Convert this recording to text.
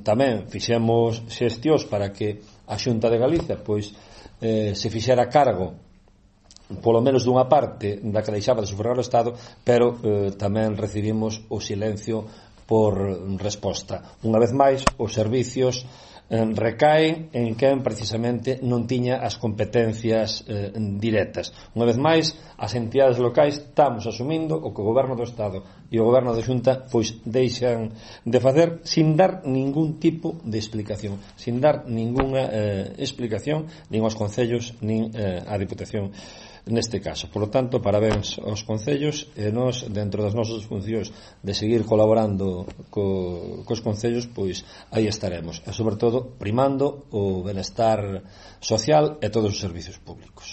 Tamén fixemos xestións para que a Xunta de Galicia se fixera cargo polo menos dunha parte da que deixaba de sufragar o Estado, pero tamén recibimos o silencio por resposta. Unha vez máis, os servicios recaen en quen precisamente non tiña as competencias directas. Unha vez máis, as entidades locais estamos asumindo o que o Goberno do Estado e o Goberno da Xunta deixan de facer sin dar ningún tipo de explicación, sin dar ningunha explicación nin aos concellos nin á Diputación neste caso. Por lo tanto, parabéns aos concellos, e nós, dentro das nosas funcións de seguir colaborando cos concellos, aí estaremos, e sobre todo primando o benestar social e todos os servicios públicos.